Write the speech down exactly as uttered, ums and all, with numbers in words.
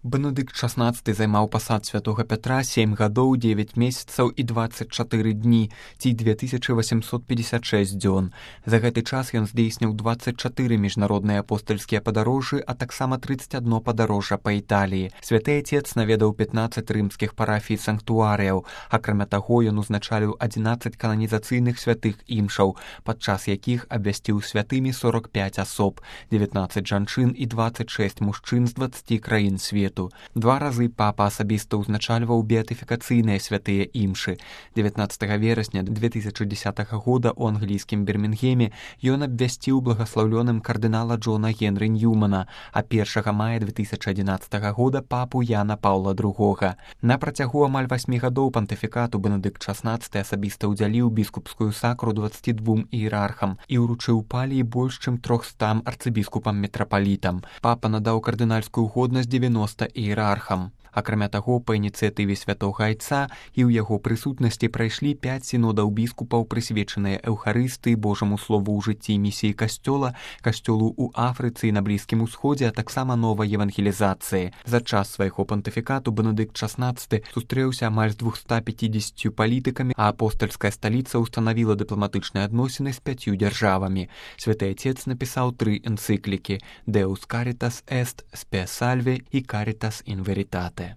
Бенедыкт шаснаццаты займаў пасад святога Пятра сем гадоў, дзевяць месяцаў і дваццаць чатыры дні, ці две тысячы восемьсот пятьдесят шесть дзён. За гэты час ён здзейсніў дваццаць чатыры міжнародныя апостальскія падарожжы, а таксама трыццаць адно падарожжа па Італіі. Святы Ацец наведаў пятнаццаць рымскіх парафій санктуарыяў. Акрамя таго, ён узначаліў адзінаццаць кананізацыйных святых імшаў, падчас якіх абвясціў святымі сорок пяць асоб, дзевятнаццаць жанчын і дваццаць шэсць мужчын з дваццаці краін свету. Два разы папа асабіста ўзначальваў беатыфікацыйныя святыя імшы. дзевятнаццатага верасня две тысячи дзесятага года ў англійскім Бірмінгеме ён абвясціў благаслаўлёным кардынала Джона Генры Ньюмана, а першага мая две тысячи адзінаццатага года папу Яна Паўла другога. На працягу амаль васьмі гадоў пантыфікату Бенедыкт шаснаццаты асабіста ўдзяліў біскупскую сакру дваццаці двум іерархам і ўручыў паліі больш чым трохстам арцыбіскупам-метрапалітам. Папа надаў кардынальскую годнасць дзевяноста іерархам. Акрамя таго, па ініцыятыве святога Айца і ў яго прысутнасці прайшлі пяць сінодаў біскупаў, прысвечаныя эўхарыстыі, Божаму слову ў жыцці і місіі касцёла, касцёлу ў Афрыцы і на Блізкім Усходзе, а таксама новай евангелізацыі. За час свайго пантыфікату Бенедыкт шаснаццаты сустрэўся амаль з двухстамі пяцідзесяццю палітыкамі, а апостальская сталіца ўстанавіла дыпламатычныя адносіны з пяццю дзяржавамі. Святы Ацец напісаў тры энцыклікі: Deus Caritas Est, Spe Salve і Caritas in Veritate.